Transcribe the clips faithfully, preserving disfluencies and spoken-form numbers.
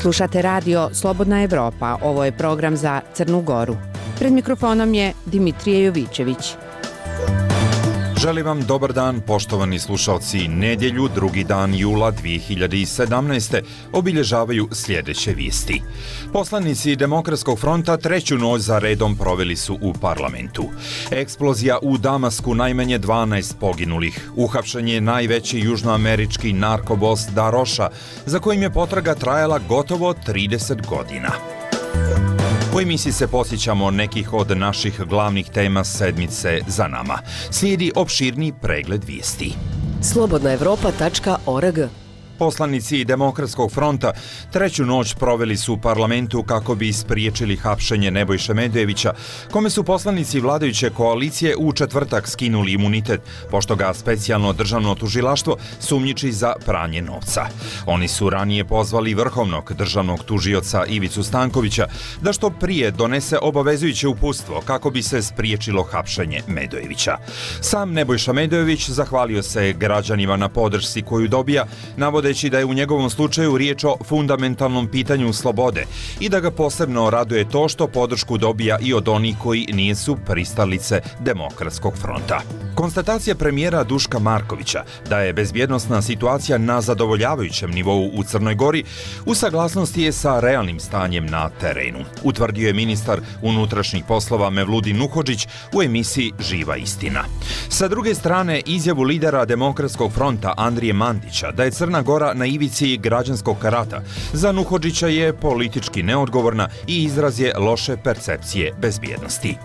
Slušate radio Slobodna Evropa, ovo je program za Crnu Goru. Pred mikrofonom je Dimitrije Jovićević. Želim vam dobar dan, poštovani slušalci. Nedjelju, drugi dan jula dvije hiljade sedamnaeste. obilježavaju sljedeće vijesti. Poslanici Demokratskog fronta treću noć za redom proveli su u parlamentu. Eksplozija u Damasku, najmanje dvanaest poginulih. Uhapšen je najveći južnoamerički narkobos Daroša, za kojim je potraga trajala gotovo trideset godina. U emisiji se posjećamo nekih od naših glavnih tema sedmice za nama. Slijedi opširni pregled vijesti. slobodna evropa tačka org. Poslanici Demokratskog fronta treću noć proveli su u parlamentu kako bi spriječili hapšenje Nebojše Medvejevića, kome su poslanici vladajuće koalicije u četvrtak skinuli imunitet, pošto ga specijalno državno tužilaštvo sumnjiči za pranje novca. Oni su ranije pozvali vrhovnog državnog tužioca Ivicu Stankovića da što prije donese obavezujuće uputstvo kako bi se spriječilo hapšenje Medvejevića. Sam Nebojša Medvejević zahvalio se građanima na podršci koju dobija, navodeći da je u njegovom slučaju riječ o fundamentalnom pitanju slobode i da ga posebno raduje to što podršku dobija i od onih koji nisu pristalice Demokratskog fronta. Konstatacija premijera Duška Markovića da je bezbjednosna situacija na zadovoljavajućem nivou u Crnoj Gori u saglasnosti je sa realnim stanjem na terenu, utvrdio je ministar unutrašnjih poslova Mevludin Nuhodžić u emisiji Živa istina. Sa druge strane, izjavu lidera Demokratskog fronta Andrije Mandića da je Crna Gora na ivici građanskog rata za Nuhodžića je politički neodgovorna i izraz je loše percepcije bezbjednosti.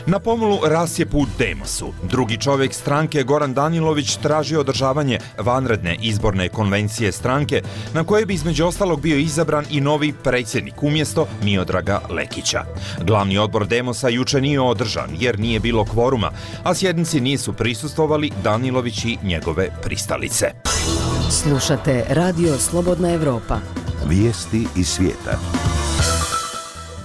Na pomolu rasjepu u Demosu, drugi čovjek stranke Goran Danilović traži održavanje vanredne izborne konvencije stranke na koje bi između ostalog bio izabran i novi predsjednik umjesto Miodraga Lekića. Glavni odbor Demosa juče nije održan jer nije bilo kvoruma, a sjednici nisu prisustvovali Danilović i njegove pristalice. Slušate radio Slobodna Evropa. Vijesti iz svijeta.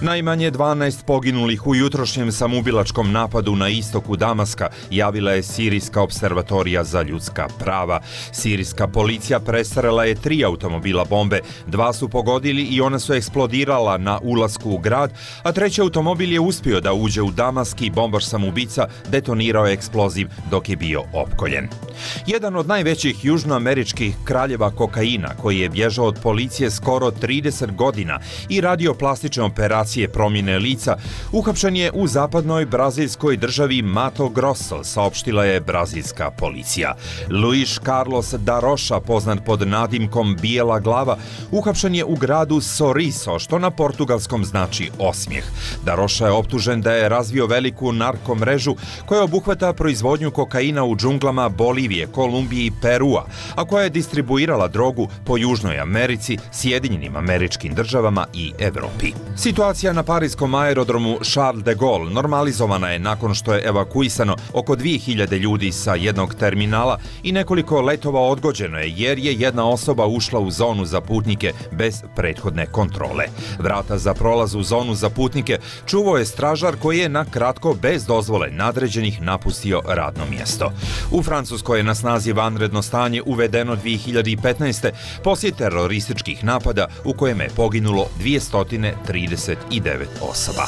Najmanje dvanaest poginulih u jutrošnjem samoubilačkom napadu na istoku Damaska javila je Sirijska observatorija za ljudska prava. Sirijska policija presrela je tri automobila bombe, dva su pogodili i ona su eksplodirala na ulasku u grad, a treći automobil je uspio da uđe u Damask i bombaš samoubica detonirao je eksploziv dok je bio opkoljen. Jedan od najvećih južnoameričkih kraljeva kokaina, koji je bježao od policije skoro trideset godina i radio plastične operacije promjene lica, uhapšen je u zapadnoj brazilskoj državi Mato Grosso, saopštila je brazilska policija. Luis Carlos Daroša, poznat pod nadimkom Bijela glava, uhapšen je u gradu Sorriso, što na portugalskom znači osmijeh. Daroša je optužen da je razvio veliku narkomrežu koja obuhvata proizvodnju kokaina u džunglama Bolivije, Kolumbije i Perua, a koja je distribuirala drogu po Južnoj Americi, Sjedinjenim Američkim Državama i Evropi. Situacija na parijskom aerodromu Charles de Gaulle normalizovana je nakon što je evakuisano oko dvije hiljade ljudi sa jednog terminala i nekoliko letova odgođeno je jer je jedna osoba ušla u zonu za putnike bez prethodne kontrole. Vrata za prolaz u zonu za putnike čuvao je stražar koji je na kratko bez dozvole nadređenih napustio radno mjesto. U Francuskoj je na snazi vanredno stanje uvedeno dvije hiljade petnaeste. poslije terorističkih napada u kojem je poginulo dvjesto trideset devet osoba.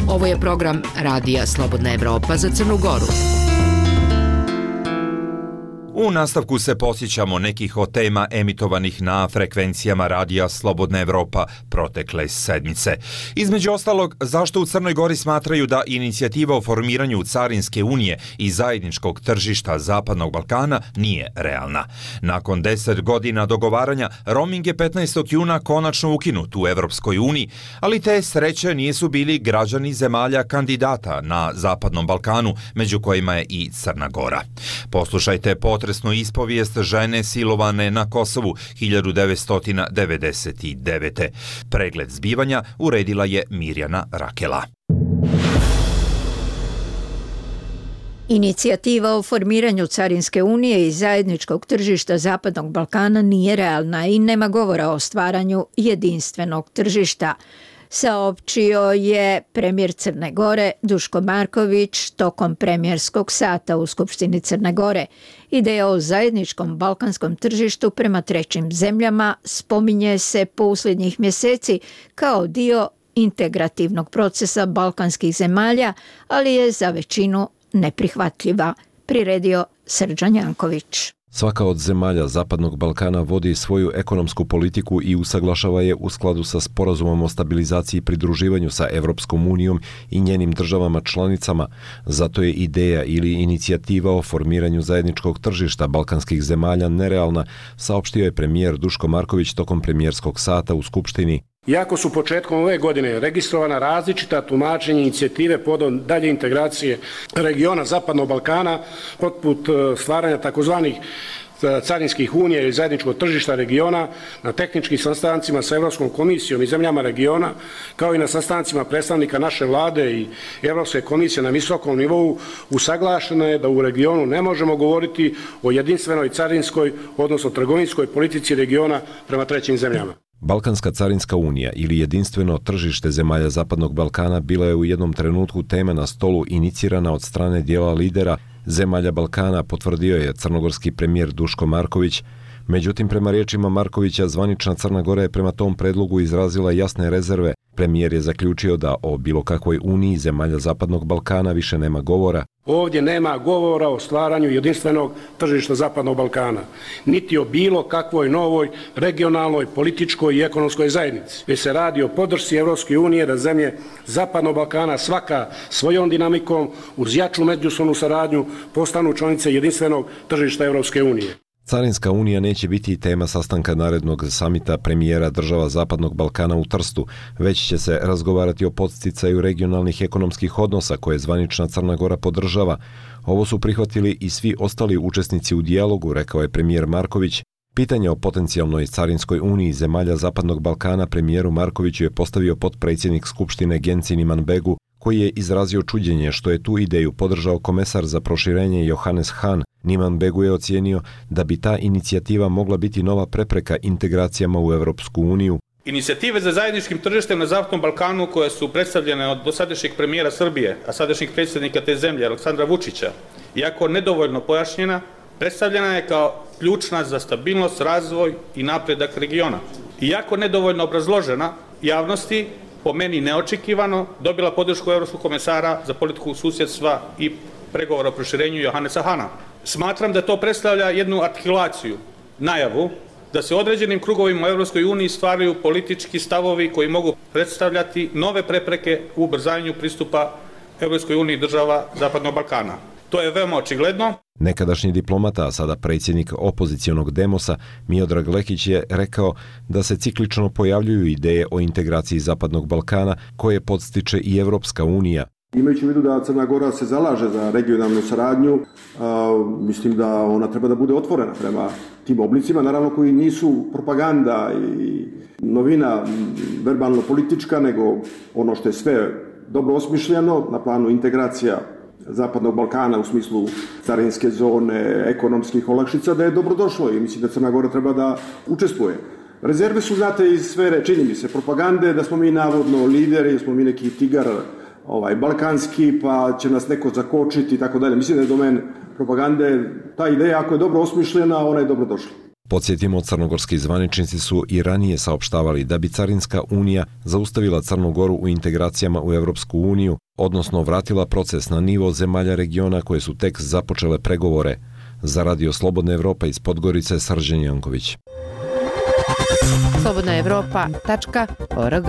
Ovo je program radija Slobodna Evropa za Crnu Goru. U nastavku se posjećamo nekih od tema emitovanih na frekvencijama radija Slobodna Evropa protekle sedmice. Između ostalog, zašto u Crnoj Gori smatraju da inicijativa o formiranju Carinske unije i zajedničkog tržišta Zapadnog Balkana nije realna. Nakon deset godina dogovaranja, roaming je petnaestog juna konačno ukinut u Evropskoj uniji, ali te sreće nisu bili građani zemalja kandidata na Zapadnom Balkanu, među kojima je i Crna Gora. Poslušajte potresnu ispovijest žene silovane na Kosovu hiljadu devetsto devedeset devete. Pregled zbivanja uredila je Mirjana Rakela. Inicijativa o formiranju Carinske unije i zajedničkog tržišta Zapadnog Balkana nije realna i nema govora o stvaranju jedinstvenog tržišta. saopćio je premijer Crne Gore Duško Marković tokom premijerskog sata u Skupštini Crne Gore. Ideja o zajedničkom balkanskom tržištu prema trećim zemljama spominje se posljednjih mjeseci kao dio integrativnog procesa balkanskih zemalja, ali je za većinu neprihvatljiva, priredio Srđan Janković. Svaka od zemalja Zapadnog Balkana vodi svoju ekonomsku politiku i usaglašava je u skladu sa sporazumom o stabilizaciji i pridruživanju sa Evropskom unijom i njenim državama članicama. Zato je ideja ili inicijativa o formiranju zajedničkog tržišta balkanskih zemalja nerealna, saopštio je premijer Duško Marković tokom premijerskog sata u Skupštini. Iako su početkom ove godine registrovana različita tumačenja inicijative povodom dalje integracije regiona Zapadnog Balkana, poput stvaranja takozvanih carinskih unija i zajedničkog tržišta regiona, na tehničkim sastancima sa Evropskom komisijom i zemljama regiona, kao i na sastancima predstavnika naše vlade i Evropske komisije na visokom nivou, usaglašeno je da u regionu ne možemo govoriti o jedinstvenoj carinskoj, odnosno trgovinskoj politici regiona prema trećim zemljama. Balkanska carinska unija ili jedinstveno tržište zemalja Zapadnog Balkana bila je u jednom trenutku tema na stolu inicirana od strane dijela lidera zemalja Balkana, potvrdio je crnogorski premijer Duško Marković. Međutim, prema riječima Markovića, zvanična Crna Gora je prema tom predlogu izrazila jasne rezerve. Premijer je zaključio da o bilo kakvoj uniji zemalja Zapadnog Balkana više nema govora. Ovdje nema govora o stvaranju jedinstvenog tržišta Zapadnog Balkana, niti o bilo kakvoj novoj regionalnoj, političkoj i ekonomskoj zajednici. Već se radi o podršci Evropske unije da zemlje Zapadnog Balkana svaka svojom dinamikom uz jaču međusobnu saradnju postanu članice jedinstvenog tržišta Evropske unije. Carinska unija neće biti tema sastanka narednog samita premijera država Zapadnog Balkana u Trstu, već će se razgovarati o podsticaju regionalnih ekonomskih odnosa koje zvanična Crna Gora podržava. Ovo su prihvatili i svi ostali učesnici u dijalogu, rekao je premijer Marković. Pitanje o potencijalnoj carinskoj uniji zemalja Zapadnog Balkana premijeru Markoviću je postavio potpredsjednik Skupštine Gencin Imanbegu, koji je izrazio čuđenje što je tu ideju podržao komesar za proširenje Johannes Hahn. Imanbegu je ocijenio da bi ta inicijativa mogla biti nova prepreka integracijama u Evropsku uniju. Inicijative za zajedničkim tržištem na Zapadnom Balkanu koje su predstavljene od dosadašnjeg premijera Srbije, a sadašnjeg predsjednika te zemlje Aleksandra Vučića, iako nedovoljno pojašnjena, predstavljena je kao ključna za stabilnost, razvoj i napredak regiona. Iako nedovoljno obrazložena javnosti, po meni neočekivano, dobila podršku Evropskog komesara za politiku susjedstva i pregovora o proširenju Johannesa Hahna. Smatram da to predstavlja jednu artikulaciju, najavu, da se određenim krugovima u Evropskoj uniji stvaraju politički stavovi koji mogu predstavljati nove prepreke u ubrzanju pristupa Evropskoj uniji država Zapadnog Balkana. To je veoma očigledno. Nekadašnji diplomata, a sada predsjednik opozicionog Demosa, Miodrag Lekić je rekao da se ciklično pojavljuju ideje o integraciji Zapadnog Balkana koje podstiče i Evropska unija. Imajući u vidu da Crna Gora se zalaže za regionalnu saradnju, a, mislim da ona treba da bude otvorena prema tim oblicima, naravno koji nisu propaganda i novina verbalno-politička, nego ono što je sve dobro osmišljeno na planu integracija Zapadnog Balkana u smislu carinske zone, ekonomskih olakšica, da je dobrodošlo i mislim da Crna Gora treba da učestvuje. Rezerve su, znate, iz sfere, čini mi se, propagande, da smo mi navodno lideri, da smo mi neki tigar ovaj, balkanski, pa će nas neko zakočiti i tako dalje. Mislim da je domen propagande, ta ideja, ako je dobro osmišljena, ona je dobrodošla. Podsjetimo, crnogorski zvaničnici su i ranije saopštavali da bi Carinska unija zaustavila Crnu Goru u integracijama u Evropsku uniju, odnosno vratila proces na nivo zemalja regiona koje su tek započele pregovore. Za Radio Slobodna Evropa iz Podgorice, Srđan Janković. slobodna evropa tačka org.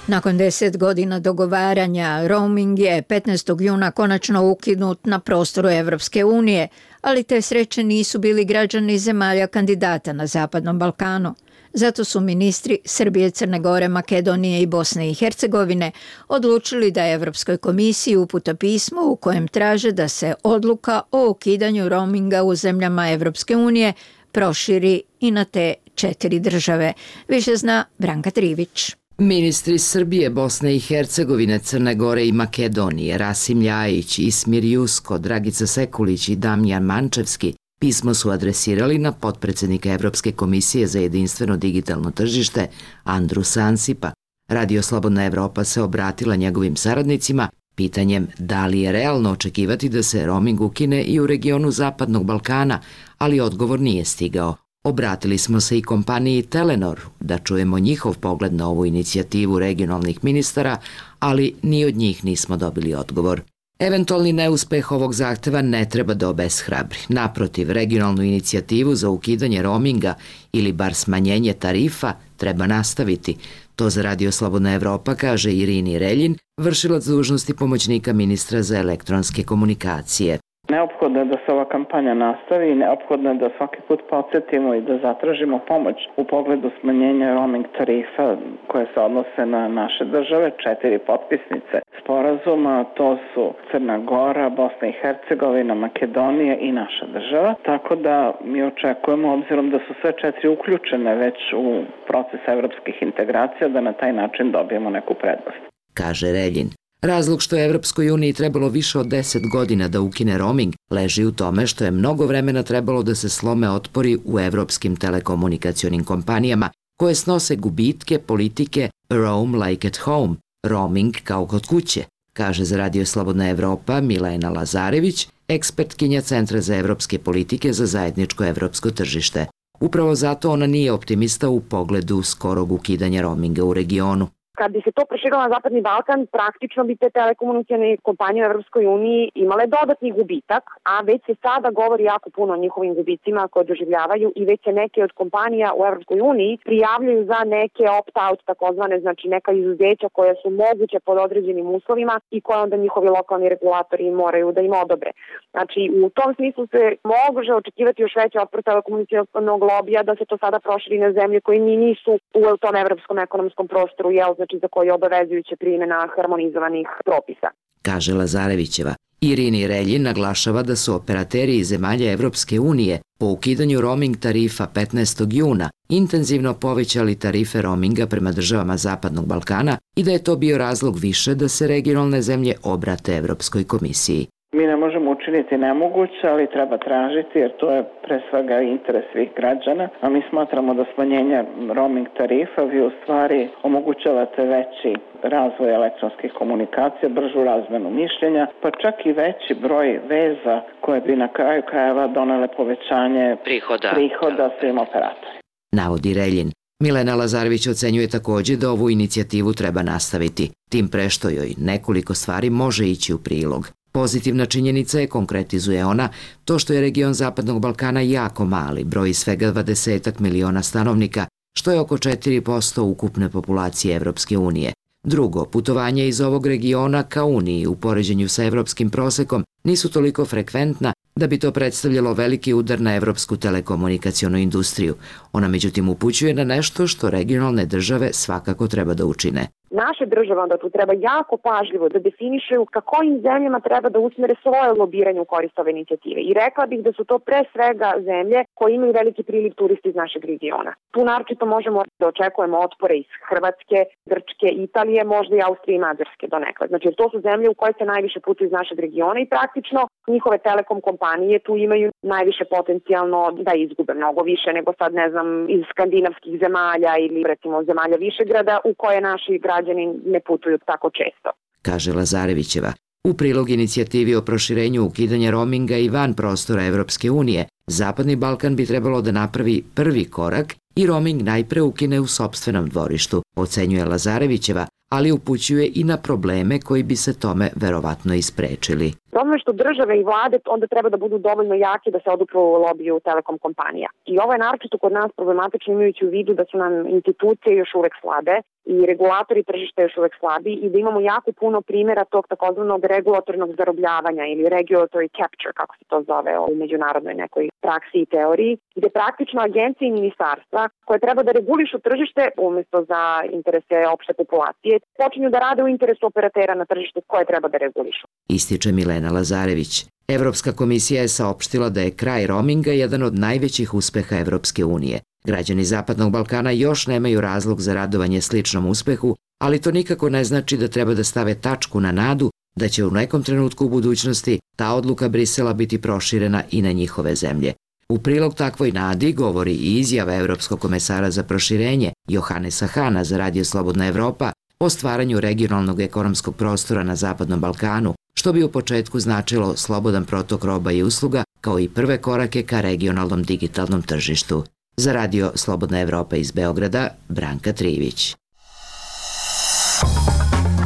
Nakon deset godina dogovaranja, roaming je petnaestog juna konačno ukinut na prostoru Evropske unije, ali te sreće nisu bili građani zemalja kandidata na Zapadnom Balkanu. Zato su ministri Srbije, Crne Gore, Makedonije i Bosne i Hercegovine odlučili da Evropskoj komisiji upute pismo u kojem traže da se odluka o ukidanju roaminga u zemljama Evropske unije proširi i na te četiri države. Više zna Branka Trivić. Ministri Srbije, Bosne i Hercegovine, Crne Gore i Makedonije, Rasim Ljajić, Ismir Jusko, Dragica Sekulić i Damjan Mančevski Pismo su adresirali na potpredsednika Evropske komisije za jedinstveno digitalno tržište Andru Sansipa. Radio Slobodna Evropa se obratila njegovim saradnicima pitanjem da li je realno očekivati da se roaming ukine i u regionu Zapadnog Balkana, ali odgovor nije stigao. Obratili smo se i kompaniji Telenor da čujemo njihov pogled na ovu inicijativu regionalnih ministara, ali ni od njih nismo dobili odgovor. Eventualni neuspeh ovog zahteva ne treba da obeshrabri. Naprotiv, regionalnu inicijativu za ukidanje roaminga ili bar smanjenje tarifa treba nastaviti. To za Radio Slobodna Evropa kaže Irini Reljin, vršilac dužnosti pomoćnika ministra za elektronske komunikacije. Neophodno je da se ova kampanja nastavi i neophodno je da svaki put podsjetimo i da zatražimo pomoć u pogledu smanjenja roaming tarifa koje se odnose na naše države, četiri potpisnice sporazuma, to su Crna Gora, Bosna i Hercegovina, Makedonija i naša država. Tako da mi očekujemo, obzirom da su sve četiri uključene već u proces evropskih integracija, da na taj način dobijemo neku prednost. Kaže Reljin. Razlog što je Evropskoj uniji trebalo više od deset godina da ukine roaming leži u tome što je mnogo vremena trebalo da se slome otpori u evropskim telekomunikacionim kompanijama koje snose gubitke politike Roam like at home, roaming kao kod kuće, kaže za Radio Slobodna Evropa Milena Lazarević, ekspertkinja Centra za evropske politike za zajedničko evropsko tržište. Upravo zato ona nije optimista u pogledu skorog ukidanja roaminga u regionu. Kad bi se to proširilo na Zapadni Balkan, praktično bi te telekomunikacione kompanije u Evropskoj uniji imale dodatni gubitak, a već se sada govori jako puno o njihovim gubicima koje doživljavaju i već se neke od kompanija u Evropskoj uniji prijavljuju za neke opt-out, takozvane, znači neka izuzeća koja su moguće pod određenim uslovima i koje onda njihovi lokalni regulatori moraju da im odobre. Znači, u tom smislu se može očekivati još veći otpor telekomunikacionog lobija da se to sada proširi na zemlje koje ni nisu u tom evropskom ekonomskom prostoru, jel, znači za koji je obavezujuće primjena harmonizovanih propisa. Kaže Lazarevićeva. Irini Reljin naglašava da su operateri iz zemalja Evropske unije po ukidanju roaming tarifa petnaestog juna intenzivno povećali tarife roaminga prema državama Zapadnog Balkana i da je to bio razlog više da se regionalne zemlje obrate Evropskoj komisiji. Mi ne možemo učiniti nemoguće, ali treba tražiti jer to je pre svega interes svih građana, a mi smatramo da smanjenje roaming tarifa vi u stvari omogućavate veći razvoj elektronskih komunikacija, bržu razmenu mišljenja, pa čak i veći broj veza koje bi na kraju krajeva donele povećanje prihoda, prihoda svim operatorima. Navodi Reljin. Milena Lazarević ocenjuje takođe da ovu inicijativu treba nastaviti, tim pre što joj nekoliko stvari može ići u prilog. Pozitivna činjenica je, konkretizuje ona, to što je region Zapadnog Balkana jako mali, broji svega dvadeset miliona stanovnika, što je oko četiri posto ukupne populacije Evropske unije. Drugo, putovanja iz ovog regiona ka Uniji u poređenju sa evropskim prosekom nisu toliko frekventna da bi to predstavljalo veliki udar na evropsku telekomunikacionu industriju. Ona međutim upućuje na nešto što regionalne države svakako treba da učine. Naše države onda tu treba jako pažljivo da definišaju ka kojim zemljama treba da usmere svoje lobiranje u korist ove inicijative. I rekla bih da su to pre svega zemlje koje imaju veliki priliv turista iz našeg regiona. Tu naročito možemo da očekujemo otpore iz Hrvatske, Grčke, Italije, možda i Austrije i Mađarske donekle. Znači, to su zemlje u koje se najviše putuju iz našeg regiona i praktično njihove telekom kompanije tu imaju najviše potencijalno da izgube mnogo više nego sad, ne znam, iz skandinavskih zemalja ili recimo zemalja Višegrada u koje naši građani ne putuju tako često. Kaže Lazarevićeva. U prilog inicijativi o proširenju ukidanja roaminga i van prostora Evropske unije, Zapadni Balkan bi trebalo da napravi prvi korak i roaming najpre ukine u sopstvenom dvorištu, ocenjuje Lazarevićeva, ali upućuje i na probleme koji bi se tome verovatno isprečili. Problem je što države i vlade onda treba da budu dovoljno jake da se odupru lobiju telekom kompanija. I ovo je naročito kod nas problematično imajući u vidu da su nam institucije još uvek slabe i regulatori tržišta još uvek slabi i da imamo jako puno primjera tog takozvanog regulatornog zarobljavanja ili regulatory capture, kako se to zove u međunarodnoj nekoj praksi i teoriji, gde praktično agencije i ministarstva koje treba da regulišu tržište umesto za interese opšte populacije, počinju da rade u interesu operatera na tržištu koje treba da regulišu. Ističe Milena Lazarević. Evropska komisija je saopštila da je kraj roaminga jedan od najvećih uspeha Evropske unije. Građani Zapadnog Balkana još nemaju razlog za radovanje sličnom uspehu, ali to nikako ne znači da treba da stave tačku na nadu da će u nekom trenutku u budućnosti ta odluka Brisela biti proširena i na njihove zemlje. U prilog takvoj nadi govori i izjava Evropskog komesara za proširenje Johannesa Hana za Radio Slobodna Evropa o stvaranju regionalnog ekonomskog prostora na Zapadnom Balkanu, što bi u početku značilo slobodan protok roba i usluga, kao i prve korake ka regionalnom digitalnom tržištu. Za Radio Slobodna Evropa iz Beograda, Branka Trivić.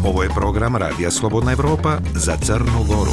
Ovo je program Radija Slobodna Evropa za Crnu Goru.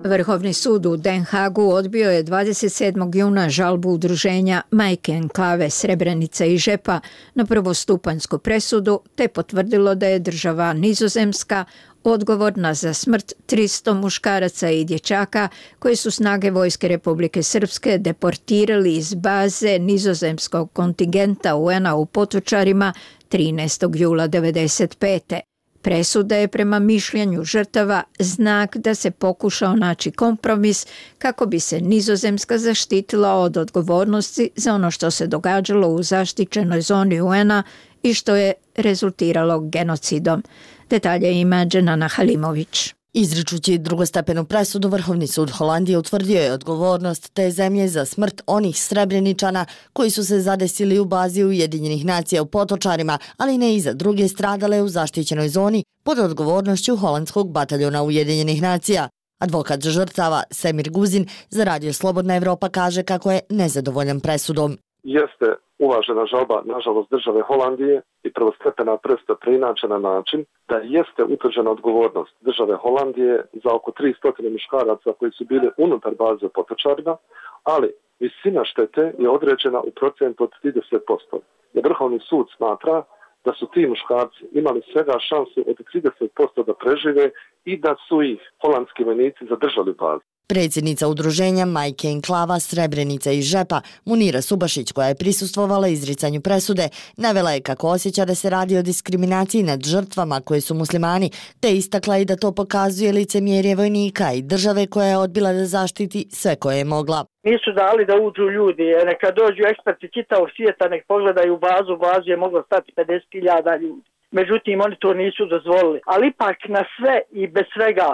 Vrhovni sud u Den Hagu odbio je dvadeset sedmog juna žalbu udruženja Majke enklave Srebrenica i Žepa na prvostupanjsku presudu, te potvrdilo da je država Nizozemska odgovorna za smrt tristo muškaraca i dječaka koje su snage Vojske Republike Srpske deportirali iz baze nizozemskog kontingenta U N-a u Potočarima trinaestog jula devedeset pete. Presuda je prema mišljenju žrtava znak da se pokušao naći kompromis kako bi se Nizozemska zaštitila od odgovornosti za ono što se događalo u zaštićenoj zoni U N-a i što je rezultiralo genocidom. Detalje ima Dženana Halimović. Izričući drugostepenu presudu, Vrhovni sud Holandije utvrdio je odgovornost te zemlje za smrt onih Srebreničana koji su se zadesili u bazi Ujedinjenih nacija u Potočarima, ali ne i za druge stradale u zaštićenoj zoni pod odgovornošću holandskog bataljona Ujedinjenih nacija. Advokat žrtava Semir Guzin za Radio Slobodna Evropa kaže kako je nezadovoljan presudom. Jeste uvažena žalba, nažalost, države Holandije i prvostepena presuda preinačena na način da jeste utvrđena odgovornost države Holandije za oko tristo muškaraca koji su bili unutar baze u Potočarima, ali visina štete je određena u procentu od trideset posto. Jer Vrhovni sud smatra da su ti muškarci imali svega šansu od trideset posto da prežive i da su ih holandski vojnici zadržali u bazi. Predsjednica udruženja Majke enklava Srebrenica i Žepa, Munira Subašić, koja je prisustvovala izricanju presude, navela je kako osjeća da se radi o diskriminaciji nad žrtvama koje su muslimani, te istakla i da to pokazuje licemjerje vojnika i države koja je odbila da zaštiti sve koje je mogla. Nisu dali da uđu ljudi, neka dođu eksperti čitavog svijeta, nek pogledaju bazu, bazu je moglo stati pedeset hiljada ljudi. Međutim, oni to nisu dozvolili, ali ipak na sve i bez svega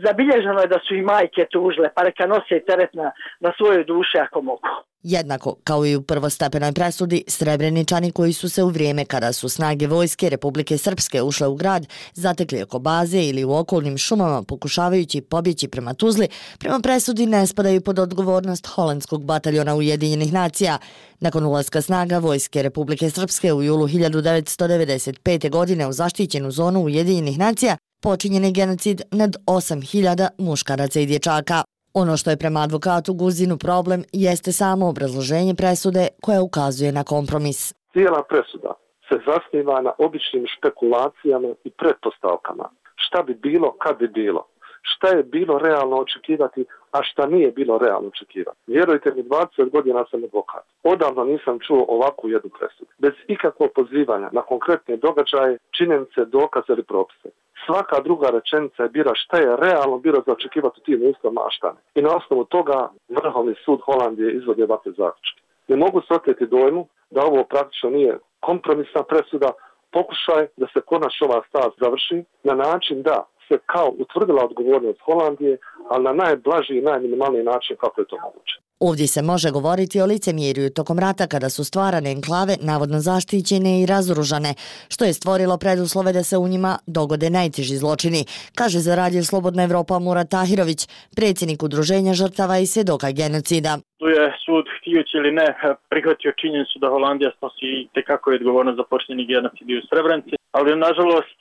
zabilježeno je da su i majke tužile, pa neka nose teret na, na svojoj duši ako mogu. Jednako kao i u prvostepenoj presudi, Srebreničani koji su se u vrijeme kada su snage Vojske Republike Srpske ušle u grad, zatekli oko baze ili u okolnim šumama pokušavajući pobjeći prema Tuzli, prema presudi ne spadaju pod odgovornost holandskog bataljona Ujedinjenih nacija. Nakon ulaska snaga Vojske Republike Srpske u julu hiljadu devetsto devedeset pete. godine u zaštićenu zonu Ujedinjenih nacija, počinjen je genocid nad osam hiljada muškaraca i dječaka. Ono što je prema advokatu Guzinu problem jeste samo obrazloženje presude koja ukazuje na kompromis. Cijela presuda se zasniva na običnim špekulacijama i pretpostavkama. Šta bi bilo kad bi bilo? Šta je bilo realno očekivati, a šta nije bilo realno očekivati? Vjerujte mi, dvadeset godina sam advokat. Odavno nisam čuo ovakvu jednu presudu. Bez ikakvog pozivanja na konkretne događaje, činjenice, dokaze ili propise. Svaka druga rečenica je bila šta je realno bilo za očekivati u tim uslovima, a šta ne. I na osnovu toga Vrhovni sud Holandije izvodi ovakve zaključke. Ne mogu se oteti dojmu da ovo praktično nije kompromisna presuda, pokušaj da se konačno ova stvar završi na način da se kao utvrdila odgovornost Holandije, ali na najblaži i najminimalniji način kako je to moguće. Ovdje se može govoriti o licemjerju tokom rata kada su stvarane enklave navodno zaštićene i razoružane, što je stvorilo preduslove da se u njima dogode najteži zločini, kaže za Radio Slobodna Evropa Murat Tahirović, predsjednik udruženja žrtava i svjedoka genocida. Tu je sud, htijući ili ne, prihvatio činjenicu da Holandija snosi tekako je odgovornost za počinjeni genocid u Srebrenici, ali nažalost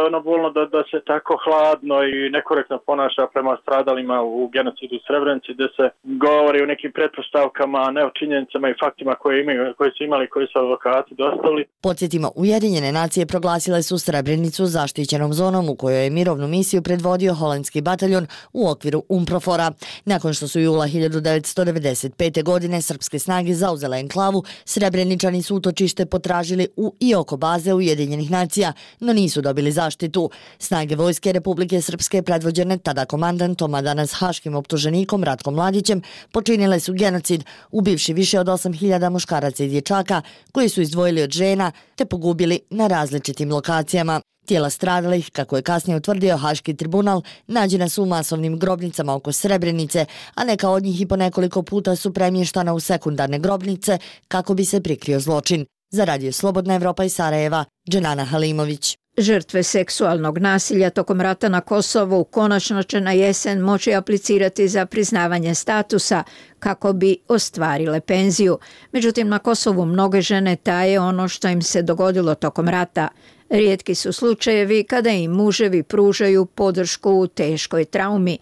ono bolno da, da se tako hladno i nekorektno ponaša prema stradalima u genocidu u Srebrenici, gdje se govori o nekim pretpostavkama, a ne o činjenicama i faktima koje, imaju, koje su imali, koji su advokati dostavili. Podsjetimo, Ujedinjene nacije proglasile su Srebrenicu zaštićenom zonom u kojoj je mirovnu misiju predvodio holandski bataljon u okviru UNPROFOR-a. Nakon što su jula hiljadu devetsto devedeset pete. godine srpske snage zauzele enklavu, Srebreničani su utočište potražili u i oko baze Ujedinjenih nacija, no nisu dobili zaštitu. Snage Vojske Republike Srpske predvođene tada komandantom, a danas haškim optuženikom Ratkom Mladićem, počinile su genocid, ubivši više od osam hiljada muškaraca i dječaka koji su izdvojili od žena te pogubili na različitim lokacijama. Tijela stradalih, kako je kasnije utvrdio Haški tribunal, nađena su u masovnim grobnicama oko Srebrenice, a neka od njih i po nekoliko puta su premještana u sekundarne grobnice kako bi se prikrio zločin. Za Radio Slobodna Evropa iz Sarajeva, Dženana Halimović. Žrtve seksualnog nasilja tokom rata na Kosovu konačno će na jesen moći aplicirati za priznavanje statusa kako bi ostvarile penziju. Međutim, na Kosovu mnoge žene taje ono što im se dogodilo tokom rata. Rijetki su slučajevi kada im muževi pružaju podršku u teškoj traumi.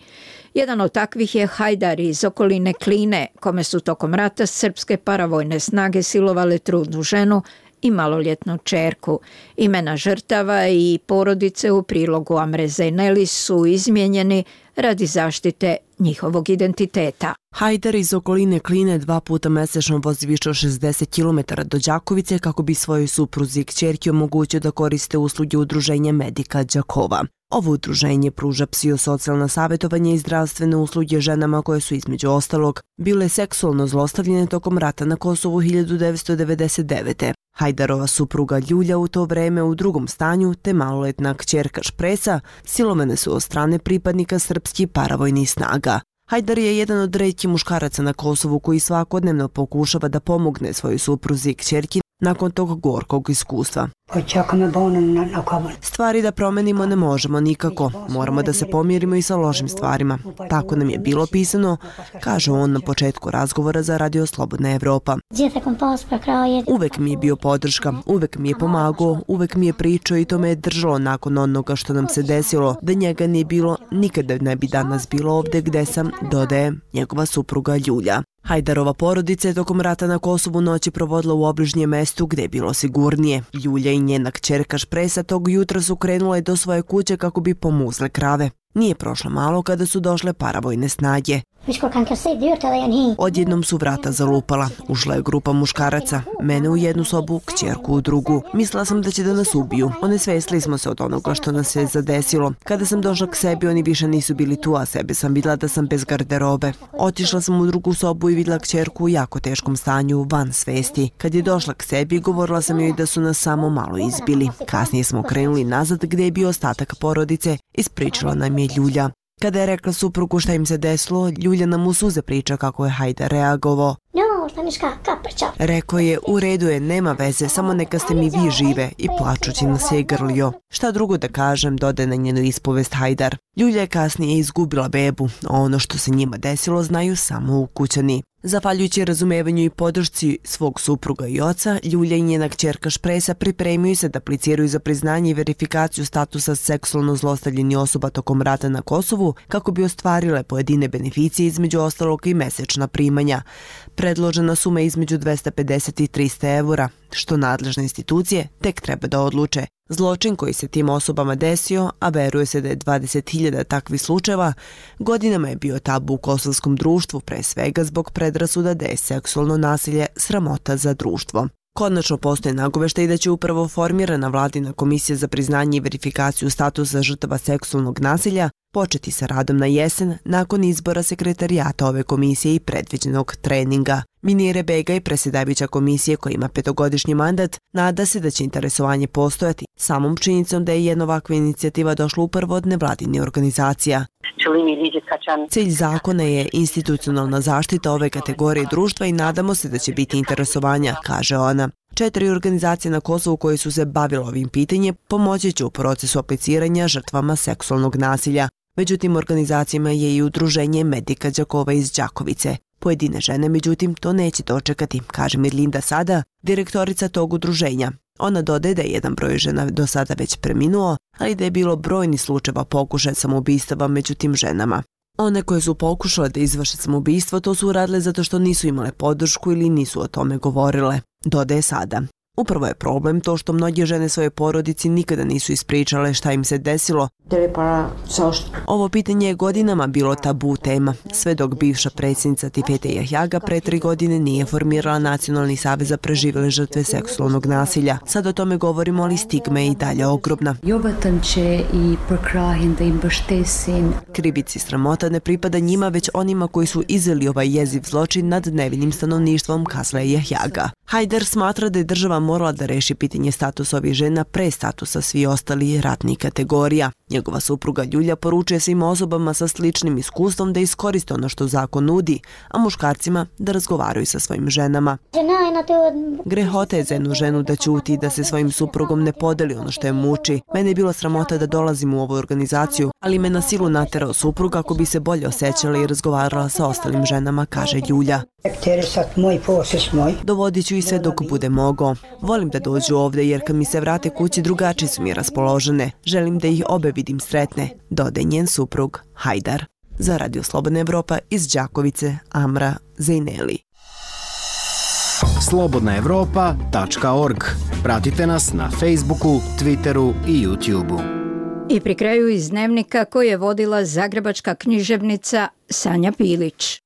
Jedan od takvih je Hajdar iz okoline Kline, kome su tokom rata srpske paravojne snage silovale trudnu ženu i maloljetnu čerku. Imena žrtava i porodice u prilogu Amre Zejneli su izmijenjeni radi zaštite njihovog identiteta. Hajdar iz okoline Kline dva puta mesečno vozi više od šezdeset kilometara do Đakovice kako bi svojoj supruzi i kćerki omogućio da koriste usluge udruženja Medika Đakova. Ovo udruženje pruža psihosocijalna savjetovanje i zdravstvene usluge ženama koje su između ostalog bile seksualno zlostavljene tokom rata na Kosovu hiljadu devetsto devedeset devete. Hajdarova supruga Ljulja u to vreme u drugom stanju te maloletna kćerka Špresa silovane su od strane pripadnika srpskih paravojnih snaga. Hajdar je jedan od retkih muškaraca na Kosovu koji svakodnevno pokušava da pomogne svojoj supruzi i kćerki nakon tog gorkog iskustva. Stvari da promenimo ne možemo nikako, moramo da se pomirimo i sa lošim stvarima. Tako nam je bilo pisano, kaže on na početku razgovora za Radio Slobodna Evropa. Uvek mi je bio podrška, uvek mi je pomagao, uvek mi je pričao i to me je držalo nakon onoga što nam se desilo. Da njega nije bilo, nikada ne bi danas bilo ovde gde sam, dodaje njegova supruga Ljulja. Hajdarova porodica je tokom rata na Kosovu noći provodila u obližnjem mestu gde je bilo sigurnije. Ljulja i njena kćerka Špresa tog jutra su krenule do svoje kuće kako bi pomuzle krave. Nije prošlo malo kada su došle paravojne snage. Odjednom su vrata zalupala. Ušla je grupa muškaraca. Mene u jednu sobu, kćerku u drugu. Mislila sam da će da nas ubiju. Onesvestili smo se od onoga što nas se zadesilo. Kada sam došla k sebi, oni više nisu bili tu, a sebe sam vidjela da sam bez garderobe. Otišla sam u drugu sobu i vidjela kćerku u jako teškom stanju, van svesti. Kad je došla k sebi, govorila sam joj da su nas samo malo izbili. Kasnije smo krenuli nazad gdje je bio ostatak porodice. Ispričala nam je Ljulja. Kada je rekla suprugu šta im se desilo, Ljulja nam u suze priča kako je Hajdar reagovao. Rekao je, u redu je, nema veze, samo neka ste mi vi žive, i plačući nas je grlio. Šta drugo da kažem, dode na njenu ispovest Hajdar. Ljulja je kasnije izgubila bebu, a ono što se njima desilo znaju samo ukućani. Zahvaljujući razumevanju i podršci svog supruga i oca, Ljulja i njena kćerka Špresa pripremaju se da apliciraju za priznanje i verifikaciju statusa seksualno zlostavljenih osoba tokom rata na Kosovu kako bi ostvarile pojedine beneficije, između ostalog i mesečna primanja. Predložena suma je između dvesta pedeset i trista evra, što nadležne institucije tek treba da odluče. Zločin koji se tim osobama desio, a veruje se da je dvadeset hiljada takvih slučajeva, godinama je bio tabu u kosovskom društvu, pre svega zbog predrasuda da je seksualno nasilje sramota za društvo. Konačno postoje nagoveštaj da će upravo formirana vladina komisija za priznanje i verifikaciju statusa žrtava seksualnog nasilja početi sa radom na jesen nakon izbora sekretarijata ove komisije i predviđenog treninga. Minire Begaj, predsjedavajuća komisije koja ima petogodišnji mandat, nada se da će interesovanje postojati samom činjenicom da je jedna ovakva inicijativa došla upravo od nevladinih organizacija. Cilj zakona je institucionalna zaštita ove kategorije društva i nadamo se da će biti interesovanja, kaže ona. Četiri organizacije na Kosovu koje su se bavile ovim pitanjem pomoći će u procesu apliciranja žrtvama seksualnog nasilja. Međutim, organizacijama je i udruženje Medika Đakova iz Đakovice. Pojedine žene, međutim, to neće dočekati, kaže Mirlinda Sada, direktorica tog udruženja. Ona dodaje da je jedan broj žena do sada već preminuo, ali da je bilo brojni slučajeva pokušaja samoubistava među tim ženama. One koje su pokušale da izvrše samoubistvo to su uradile zato što nisu imale podršku ili nisu o tome govorile, dodaje Sada. Upravo je problem to što mnoge žene svoje porodici nikada nisu ispričale šta im se desilo. Ovo pitanje je godinama bilo tabu tema, sve dok bivša predsjednica Tifete Jahjaga pre tri godine nije formirala Nacionalni savez za preživele žrtve seksualnog nasilja. Sad o tome govorimo, ali stigma je i dalje ogromna. Krivici sramota ne pripada njima, već onima koji su izveli ovaj jeziv zločin nad nevinim stanovništvom, kazala je Jahjaga. Hajdar smatra da je država morala da reši pitanje statusa ovih žena pre statusa svi ostali ratnih kategorija. Njegova supruga Ljulja poručuje svim osobama sa sličnim iskustvom da iskoriste ono što zakon nudi, a muškarcima da razgovaraju sa svojim ženama. Grehota je za jednu ženu da ćuti i da se svojim suprugom ne podeli ono što je muči. Mene je bilo sramota da dolazim u ovu organizaciju, ali me na silu naterao suprug kako bi se bolje osjećala i razgovarala sa ostalim ženama, kaže Ljulja. Dovodit ću i sve dok bude mogao. Volim da dođu ovde jer kad mi se vrate kući drugačije su mi raspoložene. Želim da ih obe vidim sretne, dodaje njen suprug Hajdar. Za Radio Slobodna Evropa iz Đakovice, Amra Zejneli. slobodna evropa tačka org. Pratite nas na Facebooku, Twitteru i YouTubeu. I pri kraju iz dnevnika koji je vodila zagrebačka književnica Sanja Pilić.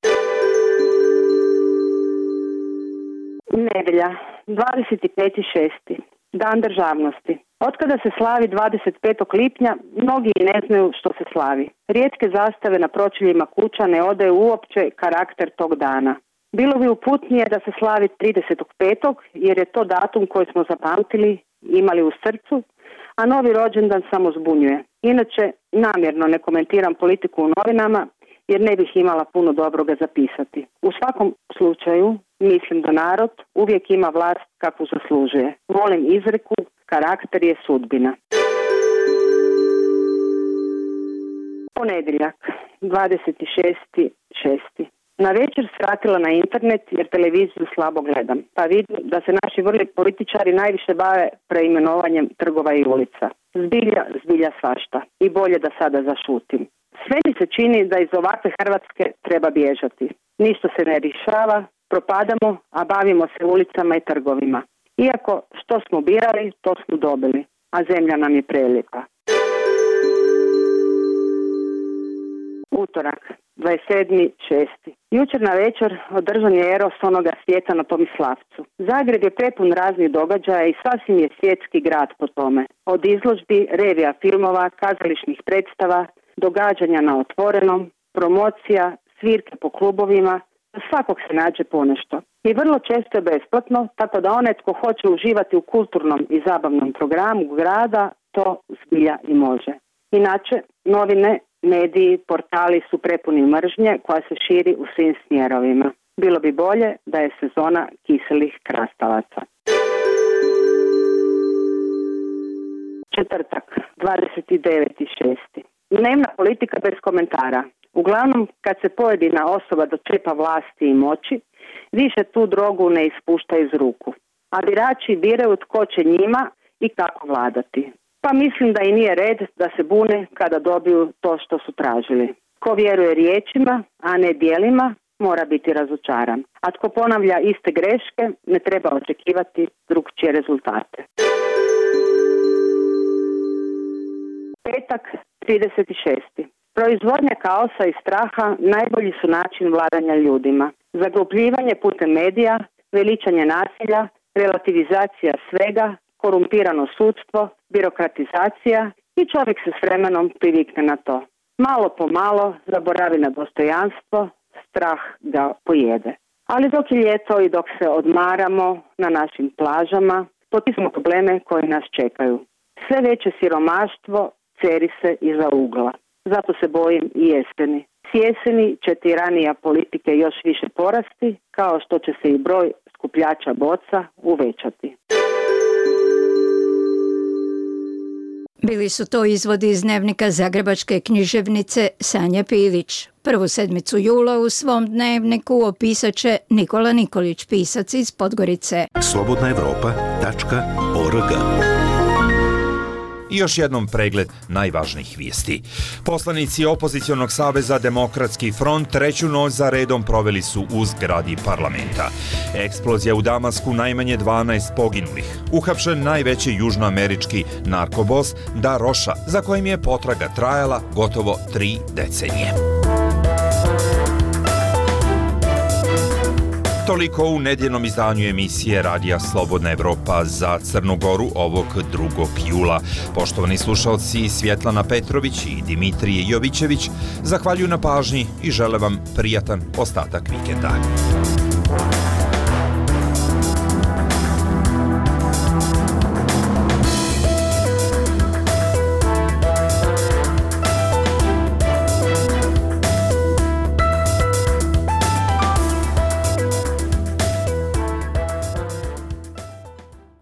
Nedelja, dvadeset peti šesti Dan državnosti. Otkada se slavi dvadeset petog lipnja, mnogi ne znaju što se slavi. Rijetke zastave na pročeljima kuća ne odaju uopće karakter tog dana. Bilo bi uputnije da se slavi tridesetog petog jer je to datum koji smo zapamtili, imali u srcu, a novi rođendan samo zbunjuje. Inače, namjerno ne komentiram politiku u novinama jer ne bih imala puno dobroga zapisati. U svakom slučaju, mislim da narod uvijek ima vlast kakvu zaslužuje. Volim izreku, karakter je sudbina. Ponedjeljak, dvadeset šesti šesti Na večer skratila na internet jer televiziju slabo gledam, pa vidim da se naši vrli političari najviše bave preimenovanjem trgova i ulica. Zbilja, zbilja svašta. I bolje da sada zašutim. Sve mi se čini da iz ovakve Hrvatske treba bježati. Ništa se ne rješava, propadamo, a bavimo se ulicama i trgovima. Iako što smo birali, to smo dobili, a zemlja nam je prelijepa. Utorak, dvadeset sedmi šesti Jučer na večer održan je Eros onoga svijeta na Tomislavcu. Zagreb je prepun raznih događaja i sasvim je svjetski grad po tome. Od izložbi, revija filmova, kazališnih predstava, događanja na otvorenom, promocija, svirke po klubovima, za svakog se nađe ponešto. I vrlo često je besplatno, tako da onaj tko hoće uživati u kulturnom i zabavnom programu grada, to zbilja i može. Inače, novine, mediji, portali su prepuni mržnje koja se širi u svim smjerovima. Bilo bi bolje da je sezona kiselih krastavaca. Četvrtak, dvadeset deveti šesti Dnevna politika bez komentara. Uglavnom, kad se pojedina osoba dočepa vlasti i moći, više tu drogu ne ispušta iz ruku. A birači biraju tko će njima i kako vladati. Pa mislim da i nije red da se bune kada dobiju to što su tražili. Ko vjeruje riječima, a ne djelima, mora biti razočaran. A tko ponavlja iste greške, ne treba očekivati drugčije rezultate. Petak, trideset šesti Proizvodnja kaosa i straha najbolji su način vladanja ljudima. Zaglupljivanje putem medija, veličanje nasilja, relativizacija svega, korumpirano sudstvo, birokratizacija i čovjek se s vremenom privikne na to. Malo po malo zaboravi na dostojanstvo, strah ga pojede. Ali dok je ljeto i dok se odmaramo na našim plažama, potismo probleme koji nas čekaju. Sve veće siromaštvo ceri se iza ugla. Zato se bojim i jeseni. S jeseni će tiranija politike još više porasti, kao što će se i broj skupljača boca uvećati. Bili su to izvodi iz dnevnika zagrebačke književnice Sanje Pilić. Prvu sedmicu jula u svom dnevniku opisat će Nikola Nikolić, pisac iz Podgorice. slobodna evropa tačka org. I još jednom pregled najvažnijih vijesti. Poslanici opozicionog saveza Demokratski front treću noć za redom proveli su u zgradi parlamenta. Eksplozija u Damasku, najmanje dvanaest poginulih. Uhapšen najveći južnoamerički narkobos Da Roša, za kojim je potraga trajala gotovo tri decenije. Toliko u nedjeljnom izdanju emisije Radija Slobodna Evropa za Crnu Goru ovog drugog jula. Poštovani slušalci, Svjetlana Petrović i Dimitrije Jovićević zahvaljuju na pažnji i žele vam prijatan ostatak vikenda.